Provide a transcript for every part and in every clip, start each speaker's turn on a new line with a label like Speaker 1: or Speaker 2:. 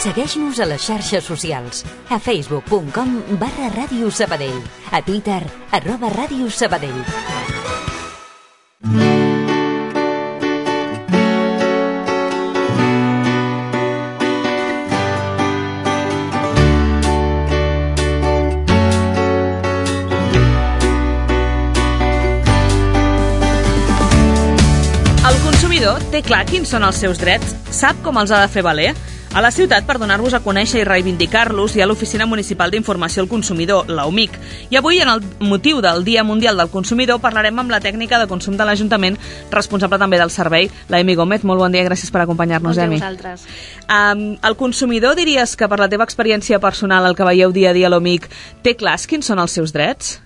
Speaker 1: Segueix-nos a les xarxes socials, a facebook.com/Ràdio Sabadell, a Twitter, @Ràdio Sabadell.
Speaker 2: Té clar quins són els seus drets, sap com els ha de fer valer. A la ciutat, per donar-vos a conèixer i reivindicar-los, hi ha l'Oficina Municipal d'Informació al Consumidor, la UMIC. I avui, en el motiu del Dia Mundial del Consumidor, parlarem amb la tècnica de consum de l'Ajuntament, responsable també del servei, la Emi Gómez. Molt bon dia, gràcies per acompanyar-nos, Emi.
Speaker 3: Bon dia a vosaltres.
Speaker 2: El consumidor, diries que per la teva experiència personal, el que veieu dia a dia a l'UMIC, té clars quins són els seus drets?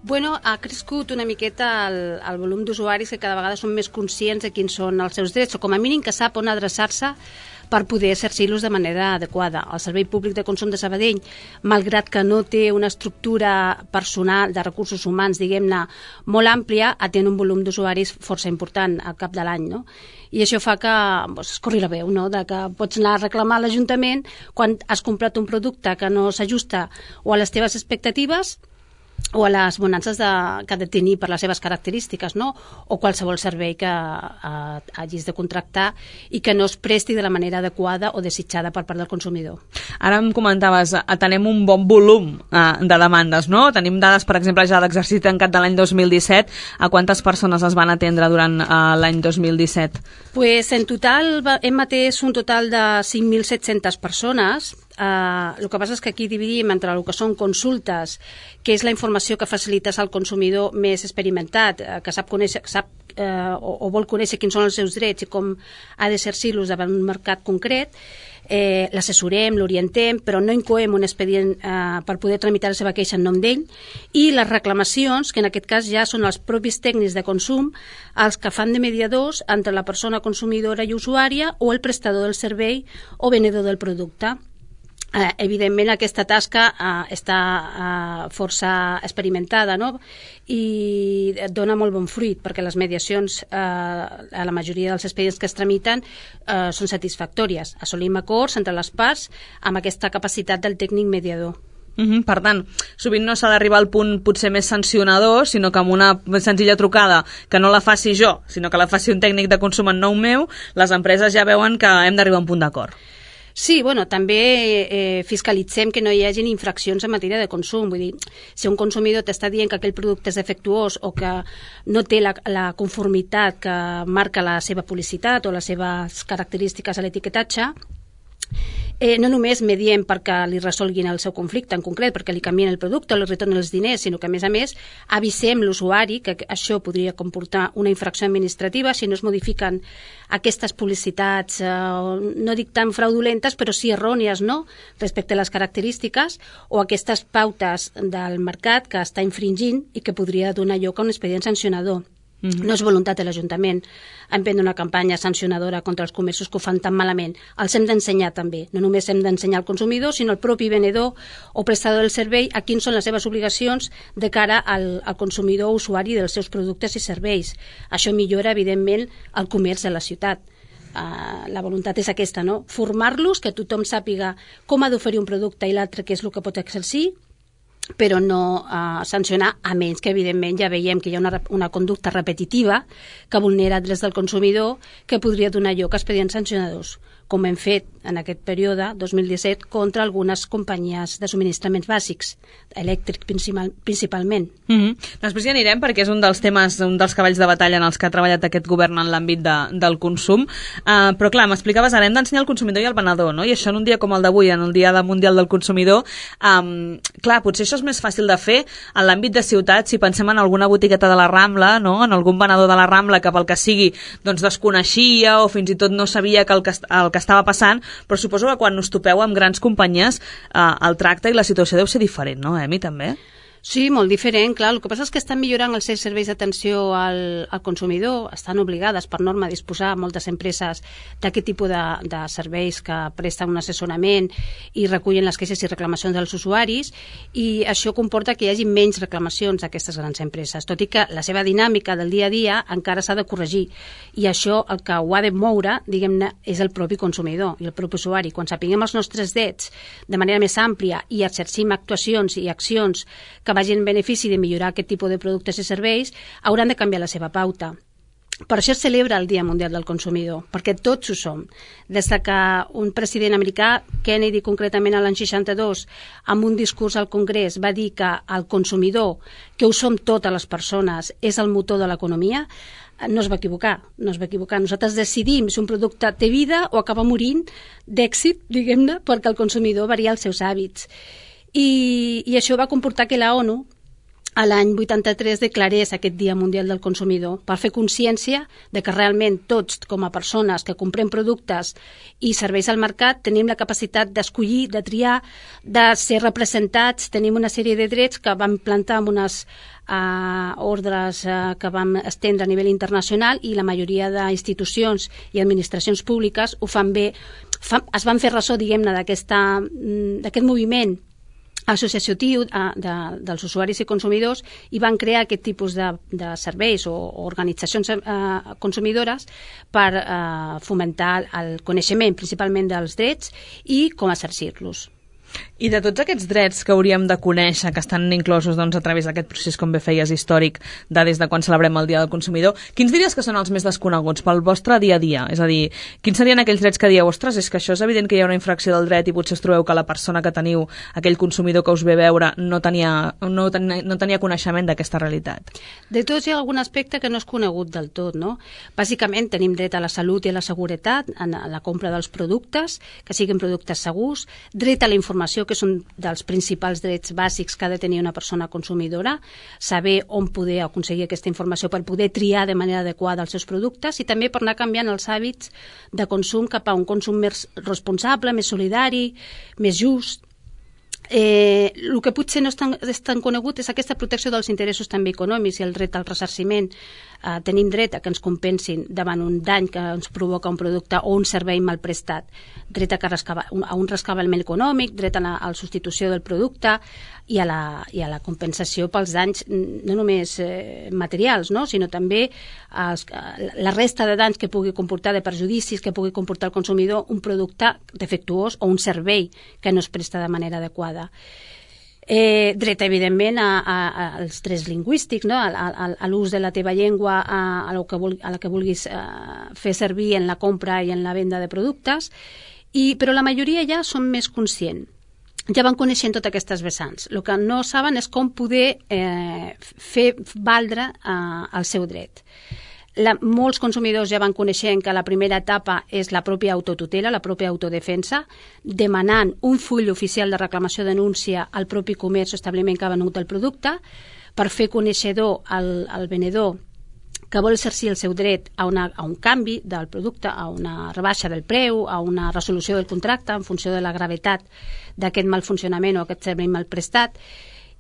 Speaker 3: Bueno, ha crescut una miqueta el volum d'usuaris que cada vegada són més conscients de quins són els seus drets, o com a mínim que sap on adreçar-se per poder exercir-los de manera adequada. El Servei Públic de Consum de Sabadell, malgrat que no té una estructura personal de recursos humans, diguem-ne, molt àmplia, atén un volum d'usuaris força important al cap de l'any, no? I això fa que es corri la veu, no? De que pots anar a reclamar a l'Ajuntament quan has comprat un producte que no s'ajusta o a les teves expectatives o a les bonances que ha de tenir per les seves característiques, no? O qualsevol servei que hagis de contractar i que no es presti de la manera adequada o desitjada per part del consumidor.
Speaker 2: Ara em comentaves, tenem un bon volum de demandes, no? Tenim dades, per exemple, ja d'exercici tancat de l'any 2017. A quantes persones es van atendre durant l'any 2017?
Speaker 3: Pues en total hem atès un total de 5.700 persones. El que passa és que aquí dividim entre el que són consultes, que és la informació que facilites al consumidor més experimentat, que sap o vol conèixer quins són els seus drets i com ha d'exercir-los davant un mercat concret. L'assessorem, l'orientem, però no incoem un expedient per poder tramitar la seva queixa en nom d'ell, i les reclamacions, que en aquest cas ja són els propis tècnics de consum els que fan de mediadors entre la persona consumidora i usuària o el prestador del servei o venedor del producte. Evidentment aquesta tasca està força experimentada, no? I dona molt bon fruit, perquè les mediacions a la majoria dels expedients que es tramiten són satisfactòries. Assolim acords entre les parts amb aquesta capacitat del tècnic mediador.
Speaker 2: Per tant, sovint no s'ha d'arribar al punt potser més sancionador, sinó que amb una senzilla trucada que no la faci jo, sinó que la faci un tècnic de consum en nom meu, les empreses ja veuen que hem d'arribar a un punt d'acord.
Speaker 3: Sí, bueno, també fiscalitzem que no hi hagi infraccions en matèria de consum. Vull dir, si un consumidor t'està dient que aquell producte és defectuós o que no té la conformitat que marca la seva publicitat o les seves característiques a l'etiquetatge, no només mediem perquè li resolguin el seu conflicte en concret, perquè li canvien el producte o li retornen els diners, sinó que, a més, avisem l'usuari que això podria comportar una infracció administrativa si no es modifiquen aquestes publicitats, no dic tan fraudulentes, però sí errònies, no?, respecte a les característiques, o aquestes pautes del mercat que està infringint i que podria donar lloc a un expedient sancionador. No és voluntat de l'Ajuntament emprendre una campanya sancionadora contra els comerços que ho fan tan malament. Els hem d'ensenyar també. No només hem d'ensenyar al consumidor, sinó al propi venedor o prestador del servei a quins són les seves obligacions de cara al consumidor o usuari dels seus productes i serveis. Això millora, evidentment, el comerç de la ciutat. La voluntat és aquesta, no? Formar-los, que tothom sàpiga com ha d'oferir un producte i l'altre què és el que pot exercir, però no sancionar, a menys que evidentment ja veiem que hi ha una conducta repetitiva que vulnera drets del consumidor que podria donar lloc a expedients sancionadors, com hem fet en aquest període 2017 contra algunes companyies de subministraments bàsics, elèctric principalment.
Speaker 2: Després hi anirem, perquè és un dels temes, un dels cavalls de batalla en els que ha treballat aquest govern en l'àmbit del consum, però clar, m'explicaves, ara hem d'ensenyar el consumidor i el venedor, no? I això en un dia com el d'avui, en el Dia Mundial del Consumidor, clar, potser això és més fàcil de fer en l'àmbit de ciutat, si pensem en alguna botigueta de la Rambla, no? En algun venedor de la Rambla que pel que sigui doncs desconeixia o fins i tot no sabia que el que estava passant, però suposo que quan us topeu amb grans companyies el tracte i la situació deu ser diferent, no, Emi, també?
Speaker 3: Sí, molt diferent, clar. El que passa és que estan millorant els seus serveis d'atenció al consumidor, estan obligades per norma a disposar moltes empreses d'aquest tipus de serveis que presten un assessorament i recullen les queixes i reclamacions dels usuaris, i això comporta que hi hagi menys reclamacions d'aquestes grans empreses, tot i que la seva dinàmica del dia a dia encara s'ha de corregir, i això el que ho ha de moure, diguem-ne, és el propi consumidor i el propi usuari. Quan sapiguem els nostres drets de manera més àmplia i exercim actuacions i accions que vagin en benefici de millorar aquest tipus de productes i serveis, hauran de canviar la seva pauta. Per això es celebra el Dia Mundial del Consumidor, perquè tots ho som. Des que un president americà, Kennedy concretament a l'any 62, amb un discurs al Congrés va dir que el consumidor, que ho som totes les persones, és el motor de l'economia, no es va equivocar. Nosaltres decidim si un producte té vida o acaba morint d'èxit, diguem-ne, perquè el consumidor varia els seus hàbits. I això va comportar que la ONU a l'any 83 declarés aquest Dia Mundial del Consumidor per fer consciència de que realment tots, com a persones que comprem productes i serveis al mercat, tenim la capacitat d'escollir, de triar, de ser representats, tenim una sèrie de drets que vam plantar amb unes ordres que vam estendre a nivell internacional, i la majoria d'institucions i administracions públiques ho fan bé, es van fer ressò, diguem-ne, d'aquest moviment associatiu dels usuaris i consumidors, i van crear aquest tipus de serveis o organitzacions consumidores per fomentar el coneixement principalment dels drets i com exercir-los.
Speaker 2: I de tots aquests drets que hauríem de conèixer, que estan inclosos a través d'aquest procés, com bé feies, històric, des de quan celebrem el Dia del Consumidor, quins diries que són els més desconeguts pel vostre dia a dia? És a dir, quins serien aquells drets que dieu, ostres, és que això és evident que hi ha una infracció del dret i potser us trobeu que la persona que teniu, aquell consumidor que us ve a veure, no tenia coneixement d'aquesta realitat?
Speaker 3: De tots hi ha algun aspecte que no és conegut del tot, no? Bàsicament tenim dret a la salut i a la seguretat, a la compra dels productes, que siguin productes segurs, dret a la informació, que és un dels principals drets bàsics que ha de tenir una persona consumidora, saber on poder aconseguir aquesta informació per poder triar de manera adequada els seus productes, i també per anar canviant els hàbits de consum cap a un consum més responsable, més solidari, més just. El que potser no és tan conegut és aquesta protecció dels interessos també econòmics i el dret al ressarciment. Tenim dret a que ens compensin davant un dany que ens provoca un producte o un servei mal prestat, dret a un rescabalment econòmic, dret a la substitució del producte i a la compensació pels danys no només materials, no? Sinó també la resta de danys que pugui comportar, de perjudicis que pugui comportar al consumidor un producte defectuós o un servei que no es presta de manera adequada. Dret, evidentment, als drets lingüístics, no? A l'ús de la teva llengua, a la que vulguis fer servir en la compra i en la venda de productes, però la majoria ja són més conscients. Ja van coneixent totes aquestes vessants. El que no saben és com poder fer valdre el seu dret. Molts consumidors ja van coneixent que la primera etapa és la pròpia autotutela, la pròpia autodefensa, demanant un full oficial de reclamació denúncia al propi comerç o establiment que ha venut el producte, per fer coneixedor al venedor que vol exercir el seu dret a un canvi del producte, a una rebaixa del preu, a una resolució del contracte en funció de la gravetat d'aquest mal funcionament o aquest servei mal prestat.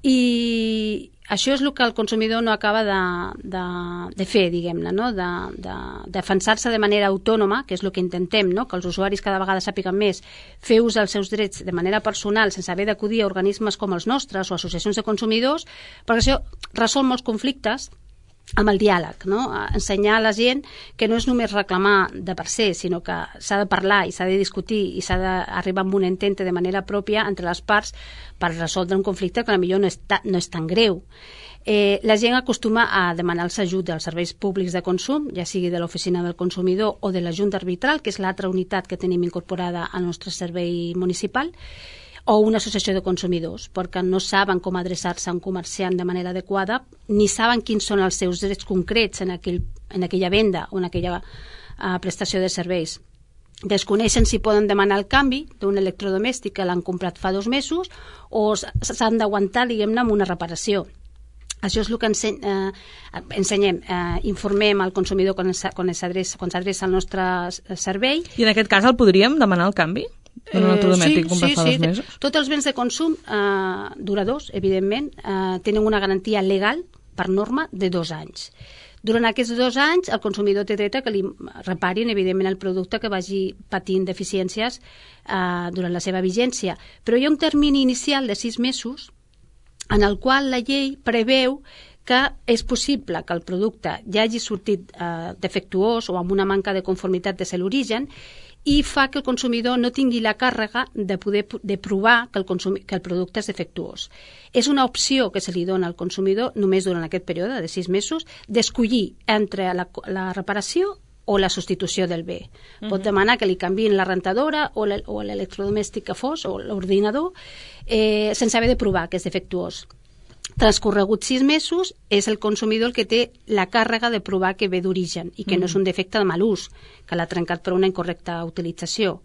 Speaker 3: I això és el que el consumidor no acaba de fer, diguem-ne, no? De defensar-se de manera autònoma, que és el que intentem, no? Que els usuaris cada vegada sàpiguen més fer ús dels seus drets de manera personal sense haver d'acudir a organismes com els nostres o associacions de consumidors, perquè això resol molts conflictes amb el diàleg, no? Ensenyar a la gent que no és només reclamar de per se, sinó que s'ha de parlar i s'ha de discutir i s'ha d'arribar a un entente de manera pròpia entre les parts per resoldre un conflicte que potser no és tan greu. La gent acostuma a demanar els ajuts dels serveis públics de consum, ja sigui de l'Oficina del Consumidor o de la Junta Arbitral, que és l'altra unitat que tenim incorporada al nostre servei municipal, o una associació de consumidors, perquè no saben com adreçar-se a un comerciant de manera adequada, ni saben quins són els seus drets concrets en aquella venda o en aquella prestació de serveis. Desconeixen si poden demanar el canvi d'un electrodomèstic que l'han comprat fa 2 mesos o s'han d'aguantar, diguem-ne, amb una reparació. Això és el que ensenyem, informem al consumidor quan s'adreça al nostre servei.
Speaker 2: I en aquest cas el podríem demanar el canvi? d'un electrodomèstic comprat fa 2 mesos?
Speaker 3: Sí. Tots els béns de consum duradors, evidentment, tenen una garantia legal, per norma, de 2 anys. Durant aquests 2 anys, el consumidor té dret a que li reparin, evidentment, el producte que vagi patint deficiències durant la seva vigència. Però hi ha un termini inicial de 6 mesos en el qual la llei preveu que és possible que el producte ja hagi sortit defectuós o amb una manca de conformitat des de l'origen i fa que el consumidor no tingui la càrrega de provar que el producte és defectuós. És una opció que se li dona al consumidor només durant aquest període de 6 mesos d'escollir entre la reparació o la substitució del bé. Pot demanar que li canviïn la rentadora o l'electrodomèstic que fos o l'ordinador sense haver de provar que és defectuós. Transcorreguts 6 mesos, és el consumidor el que té la càrrega de provar que ve d'origen i que no és un defecte de mal ús, que l'ha trencat per una incorrecta utilització.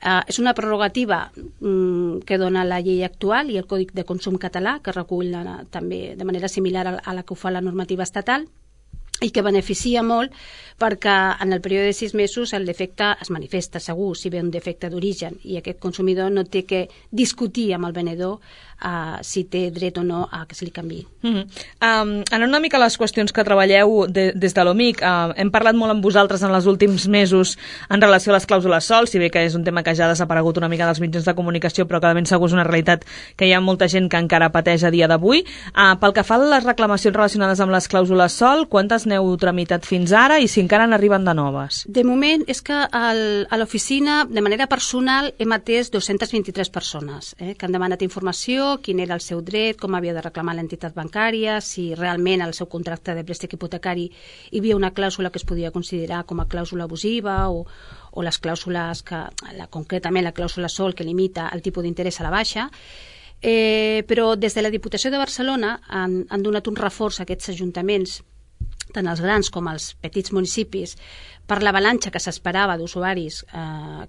Speaker 3: És una prerrogativa que dona la llei actual i el Codi de Consum català, que recull també de manera similar a la que ho fa la normativa estatal, i que beneficia molt perquè en el període de 6 mesos el defecte es manifesta segur si ve un defecte d'origen i aquest consumidor no té que discutir amb el venedor si té dret o no a que se li canviï.
Speaker 2: Anant una mica a les qüestions que treballeu des de l'OMIC, hem parlat molt amb vosaltres en els últims mesos en relació a les clàusules SOL, si bé que és un tema que ja ha desaparegut una mica dels mitjans de comunicació, però que de ben segur és una realitat que hi ha molta gent que encara pateix a dia d'avui. Pel que fa a les reclamacions relacionades amb les clàusules SOL, quantes n'heu tramitat fins ara i si encara n'arriben de noves?
Speaker 3: De moment és que a l'oficina, de manera personal, hem atès 223 persones que han demanat informació, quin era el seu dret, com havia de reclamar l'entitat bancària, si realment al seu contracte de préstec hipotecari hi havia una clàusula que es podia considerar com a clàusula abusiva o les clàusules concretament la clàusula SOL que limita el tipus d'interès a la baixa. Però des de la Diputació de Barcelona han donat un reforç a aquests ajuntaments, tant els grans com els petits municipis, per l'avalanxa que s'esperava d'usuaris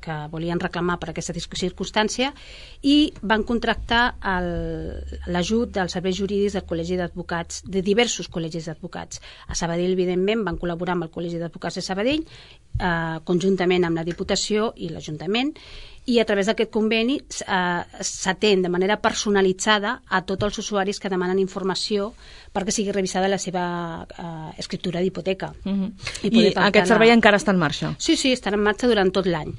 Speaker 3: que volien reclamar per aquesta circumstància i van contractar l'ajut dels serveis jurídics del Col·legi d'Advocats, de diversos col·legis d'advocats. A Sabadell, evidentment, van col·laborar amb el Col·legi d'Advocats de Sabadell, conjuntament amb la Diputació i l'Ajuntament, i a través d'aquest conveni s'atén de manera personalitzada a tots els usuaris que demanen informació perquè sigui revisada la seva escriptura d'hipoteca.
Speaker 2: I aquest servei encara està en marxa?
Speaker 3: Sí, estarà en marxa durant tot l'any.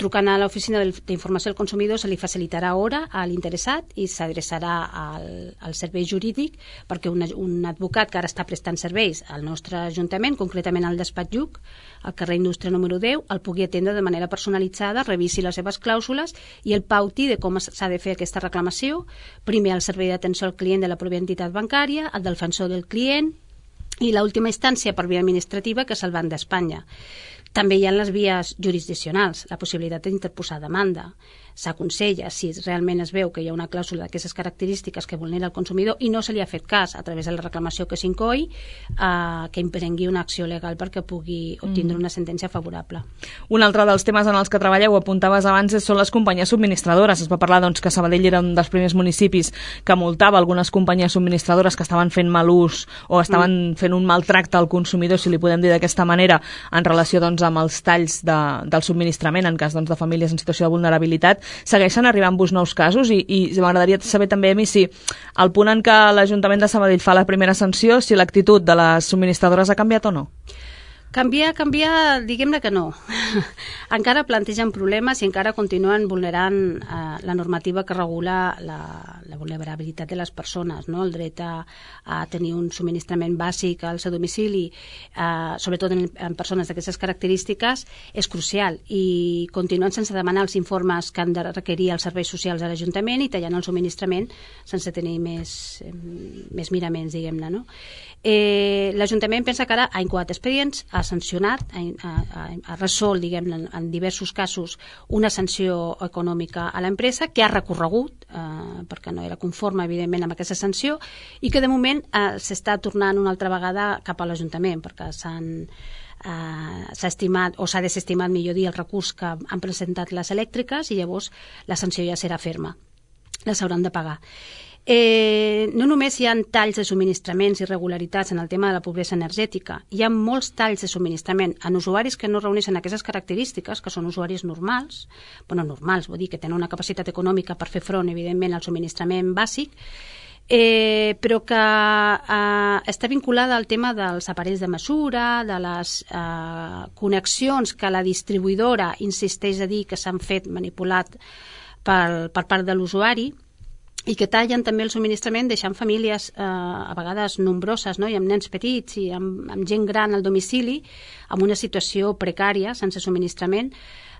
Speaker 3: Trucant a l'Oficina d'Informació al Consumidor se li facilitarà hora a l'interessat i s'adreçarà al servei jurídic perquè un advocat que ara està prestant serveis al nostre Ajuntament, concretament al despatx Lluc, al carrer Indústria número 10, el pugui atendre de manera personalitzada, revisi les seves clàusules i el pauti de com s'ha de fer aquesta reclamació, primer al servei d'atenció al client de la pròpia entitat bancària, el defensor del client i l'última instància per via administrativa, que és el Banc d'Espanya. També hi ha les vies jurisdiccionals, la possibilitat d'interposar demanda. S'aconsella, si realment es veu que hi ha una clàusula d'aquestes característiques que vulnera el consumidor i no se li ha fet cas a través de la reclamació que s'incoi, que imprengui una acció legal perquè pugui obtindre una sentència favorable.
Speaker 2: Un altre dels temes en els que treballeu, apuntaves abans, són les companyies subministradores. Es va parlar que Sabadell era un dels primers municipis que multava algunes companyies subministradores que estaven fent mal ús o estaven fent un maltracte al consumidor, si li podem dir d'aquesta manera, en relació amb els talls del subministrament en cas de famílies en situació de vulnerabilitat. Segueixen arribant-vos nous casos i m'agradaria saber també, Emi, si al punt en què l'Ajuntament de Sabadell fa la primera sanció, si l'actitud de les subministradores ha canviat o no?
Speaker 3: Canviar, diguem-ne que no. Encara plantegen problemes i encara continuen vulnerant la normativa que regula la vulnerabilitat de les persones, no? El dret a tenir un subministrament bàsic al seu domicili, sobretot en persones d'aquestes característiques, és crucial i continuen sense demanar els informes que han de requerir els serveis socials de l'Ajuntament i tallant el subministrament sense tenir més miraments, diguem-ne, no? L'Ajuntament pensa que ara ha incoat expedients, ha sancionat, ha resolt, diguem-ne, en diversos casos una sanció econòmica a l'empresa que ha recorregut perquè no era conforme, evidentment, amb aquesta sanció i que de moment s'està tornant una altra vegada cap a l'Ajuntament perquè s'ha estimat o s'ha desestimat, millor dir, el recurs que han presentat les elèctriques i llavors la sanció ja serà ferma, la s'hauran de pagar. No només hi ha talls de subministraments i irregularitats en el tema de la pobresa energètica, hi ha molts talls de subministrament en usuaris que no reuneixen aquestes característiques, que són usuaris normals, normals, vull dir que tenen una capacitat econòmica per fer front, evidentment, al subministrament bàsic, però que està vinculada al tema dels aparells de mesura, de les connexions que la distribuïdora insisteix a dir que s'han fet manipulat per part de l'usuari, i que tallen també el subministrament deixant famílies a vegades nombroses, no? I amb nens petits i amb gent gran al domicili amb una situació precària, sense subministrament,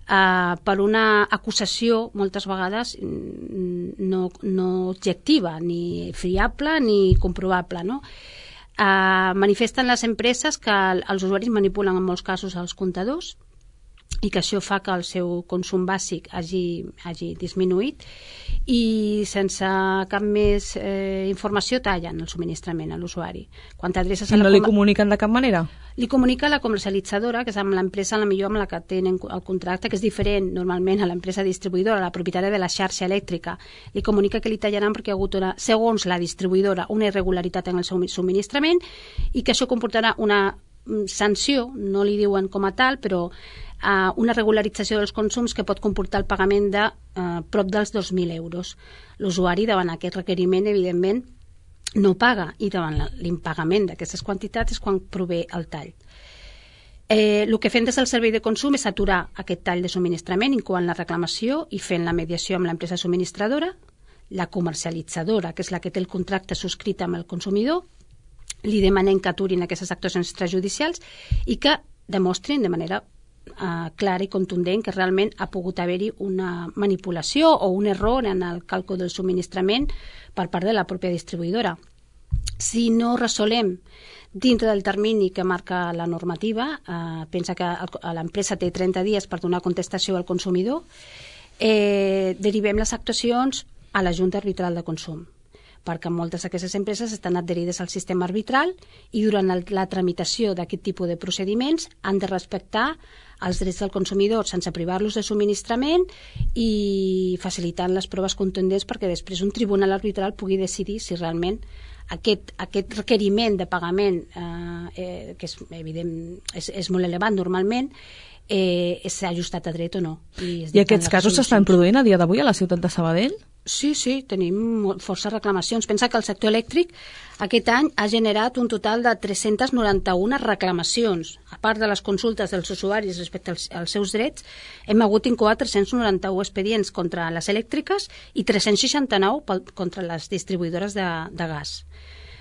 Speaker 3: per una acusació moltes vegades no objectiva, ni fiable ni comprovable, no? Manifesten les empreses que els usuaris manipulen en molts casos els comptadors i que això fa que el seu consum bàsic hagi disminuït i sense cap més informació tallen el subministrament a l'usuari. Quan t'adreces
Speaker 2: I no li comuniquen de cap manera?
Speaker 3: Li comunica la comercialitzadora, que és amb l'empresa millor amb la que tenen el contracte, que és diferent normalment a l'empresa distribuïdora, la propietària de la xarxa elèctrica. Li comunica que li tallaran perquè hi ha hagut, segons la distribuïdora, una irregularitat en el seu subministrament i que això comportarà una sanció, no li diuen com a tal, però una regularització dels consums que pot comportar el pagament de prop dels 2.000 euros. L'usuari, davant aquest requeriment, evidentment, no paga, i davant l'impagament d'aquestes quantitats és quan prové el tall. El que fem des del servei de consum és aturar aquest tall de subministrament, incloent la reclamació i fent la mediació amb l'empresa subministradora, la comercialitzadora, que és la que té el contracte subscrit amb el consumidor, li demanem que aturin aquestes actuacions extrajudicials i que demostrin de manera clara i contundent que realment ha pogut haver-hi una manipulació o un error en el càlcul del subministrament per part de la pròpia distribuïdora. Si no resolem dintre del termini que marca la normativa, pensa que l'empresa té 30 dies per donar contestació al consumidor, derivem les actuacions a la Junta Arbitral de Consum, perquè moltes d'aquestes empreses estan adherides al sistema arbitral i durant la tramitació d'aquest tipus de procediments han de respectar els drets del consumidor sense privar-los de subministrament i facilitant les proves contundents perquè després un tribunal arbitral pugui decidir si realment aquest requeriment de pagament, que és evident, és molt elevat normalment, s'ha ajustat a dret o no.
Speaker 2: I aquests casos s'estan produint a dia d'avui a la ciutat de Sabadell?
Speaker 3: Sí, tenim força reclamacions. Pensa que el sector elèctric aquest any ha generat un total de 391 reclamacions. A part de les consultes dels usuaris respecte als seus drets, hem hagut d'incoar 391 expedients contra les elèctriques i 369 contra les distribuïdores de gas.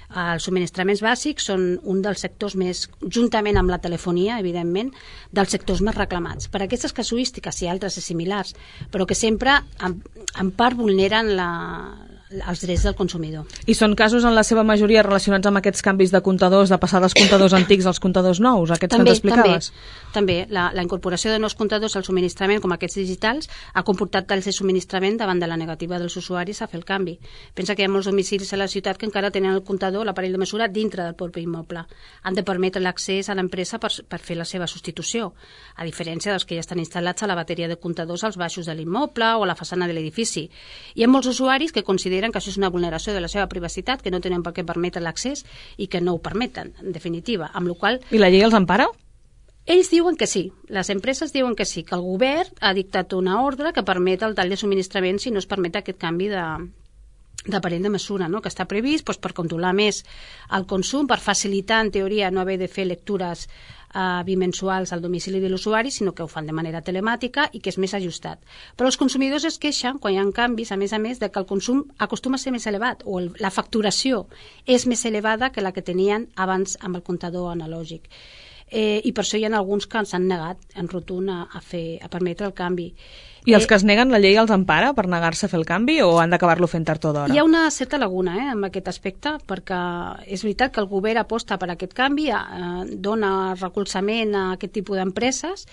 Speaker 3: Els subministraments bàsics són un dels sectors més, juntament amb la telefonia, evidentment, dels sectors més reclamats. Per aquestes casuístiques i altres similars, però que sempre en part vulneren els drets del consumidor.
Speaker 2: I són casos en la seva majoria relacionats amb aquests canvis de comptadors, de passar dels comptadors antics als comptadors nous, aquests que ens explicaves?
Speaker 3: També. La incorporació de nous comptadors al subministrament, com aquests digitals, ha comportat talls de subministrament davant de la negativa dels usuaris a fer el canvi. Pensa que hi ha molts domicilis a la ciutat que encara tenen el comptador, l'aparell de mesura, dintre del propi immoble. Han de permetre l'accés a l'empresa per fer la seva substitució, a diferència dels que ja estan instal·lats a la bateria de comptadors als baixos de l'immoble o a la façana de l'edifici. Hi ha molts usuaris que consideren que això és una vulneració de la seva privacitat, que no tenen per què permetre l'accés i que no ho permeten, en definitiva. Amb la qual...
Speaker 2: I la llei els empara?
Speaker 3: Ells diuen que sí, les empreses diuen que sí, que el govern ha dictat una ordre que permet el tall de subministrament si no es permet aquest canvi d'aparell de mesura, no? Que està previst per controlar més el consum, per facilitar, en teoria, no haver de fer lectures bimensuals al domicili de l'usuari, sinó que ho fan de manera telemàtica i que és més ajustat. Però els consumidors es queixen, quan hi ha canvis, a més, de que el consum acostuma a ser més elevat o la facturació és més elevada que la que tenien abans amb el comptador analògic. I per això hi ha alguns que s'han negat en rotund a permetre el canvi.
Speaker 2: I els que es neguen, la llei els empara per negar-se a fer el canvi o han d'acabar-lo fent tard o d'hora?
Speaker 3: Hi ha una certa laguna en aquest aspecte, perquè és veritat que el govern aposta per aquest canvi, dona recolzament a aquest tipus d'empreses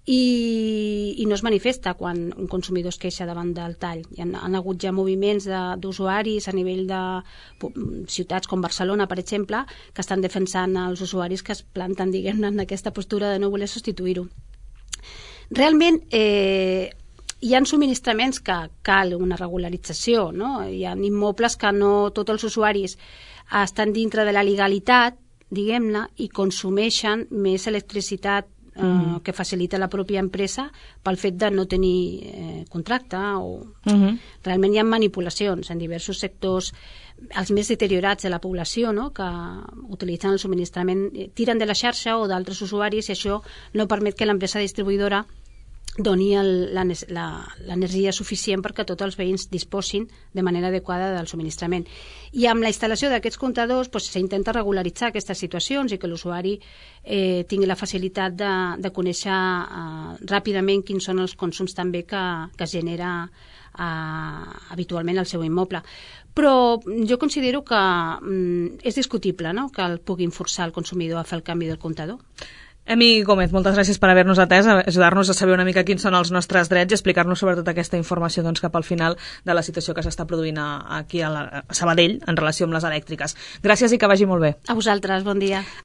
Speaker 3: i no es manifesta quan un consumidor es queixa davant del tall. Han hagut ja moviments d'usuaris a nivell de ciutats com Barcelona, per exemple, que estan defensant els usuaris que es planten, diguem-ne, en aquesta postura de no voler substituir-ho. Realment, hi ha subministraments que cal una regularització, no? Hi ha immobles que no tots els usuaris estan dintre de la legalitat, diguem-ne, i consumeixen més electricitat que facilita la pròpia empresa pel fet de no tenir contracte o... Realment hi ha manipulacions en diversos sectors, els més deteriorats de la població, no? Que utilitzen el subministrament, tiren de la xarxa o d'altres usuaris, i això no permet que l'empresa distribuïdora doni l'energia suficient perquè tots els veïns disposin de manera adequada del subministrament. I amb la instal·lació d'aquests comptadors s'intenta regularitzar aquestes situacions i que l'usuari tingui la facilitat de conèixer ràpidament quins són els consums també que es genera habitualment al seu immoble. Però jo considero que és discutible, no?, que el puguin forçar el consumidor a fer el canvi del comptador.
Speaker 2: Emi Gómez, moltes gràcies per haver-nos atès, ajudar-nos a saber una mica quins són els nostres drets i explicar-nos sobretot aquesta informació cap al final de la situació que s'està produint aquí a Sabadell en relació amb les elèctriques. Gràcies i que vagi molt bé.
Speaker 3: A vosaltres, bon dia.